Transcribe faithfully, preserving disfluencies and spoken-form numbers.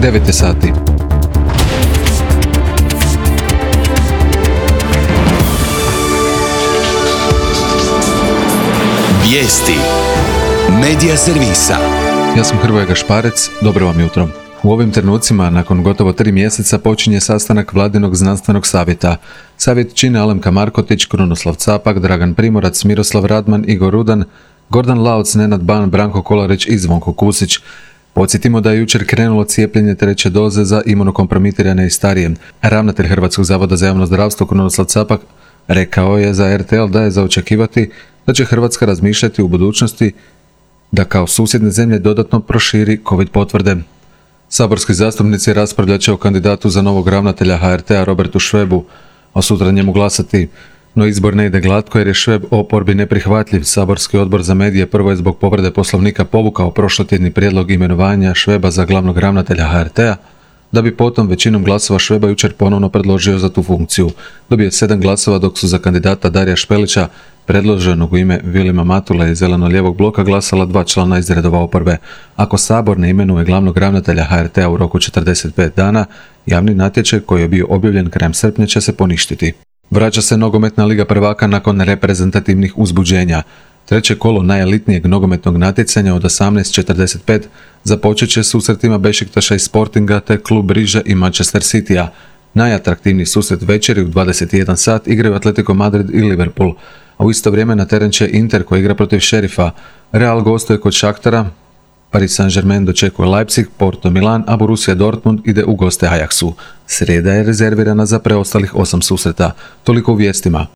devet je sati. Vijesti Medija servisa. Ja sam Hrvoje Gašparec, dobro vam jutro. U ovim trenucima, nakon gotovo tri mjeseca, počinje sastanak Vladinog znanstvenog savjeta. Savjet čine Alemka Markotić, Krunoslav Capak, Dragan Primorac, Miroslav Radman, Igor Rudan, Gordan Lauc, Nenad Ban, Branko Kolarić i Zvonko Kusić. Podsjetimo da je jučer krenulo cijepljenje treće doze za imunokompromitirane i starije. Ravnatelj Hrvatskog zavoda za javno zdravstvo Krunoslav Capak rekao je za er te el da je za očekivati da će Hrvatska razmišljati u budućnosti da kao susjedne zemlje dodatno proširi COVID potvrde. Saborski zastupnici raspravljat će o kandidatu za novog ravnatelja ha er te a Robertu Švebu, a sutra njemu glasati. No izbor ne ide glatko jer je Šveb oporbi neprihvatljiv. Saborski odbor za medije prvo je zbog povrede Poslovnika povukao prošlotjedni prijedlog imenovanja Šveba za glavnog ravnatelja ha er te a, da bi potom većinom glasova Šveba jučer ponovno predložio za tu funkciju. Dobio je sedam glasova, dok su za kandidata Darija Špelića, predloženog u ime Vilima Matula iz Zeleno-lijevog bloka, glasala dva člana iz redova oporbe. Ako Sabor ne imenuje glavnog ravnatelja ha er te a u roku četrdeset pet dana, javni natječaj koji je bio objavljen krajem srpnja će se poništiti. Vraća se nogometna liga prvaka nakon reprezentativnih uzbuđenja. Treće kolo najelitnijeg nogometnog natjecanja od osamnaest četrdeset pet započet će susretima Bešiktaša i Sportinga te klub Riže i Manchester Citya. Najatraktivniji susret večeri u dvadeset jedan sat igraju Atletico Madrid i Liverpool, a u isto vrijeme na teren će Inter koji igra protiv Šerifa. Real gostuje kod Šaktara, Paris Saint-Germain dočekuje Leipzig, Porto Milan, a Borussia Dortmund ide u goste Ajaxu. Srijeda je rezervirana za preostalih osam susreta. Toliko u vijestima.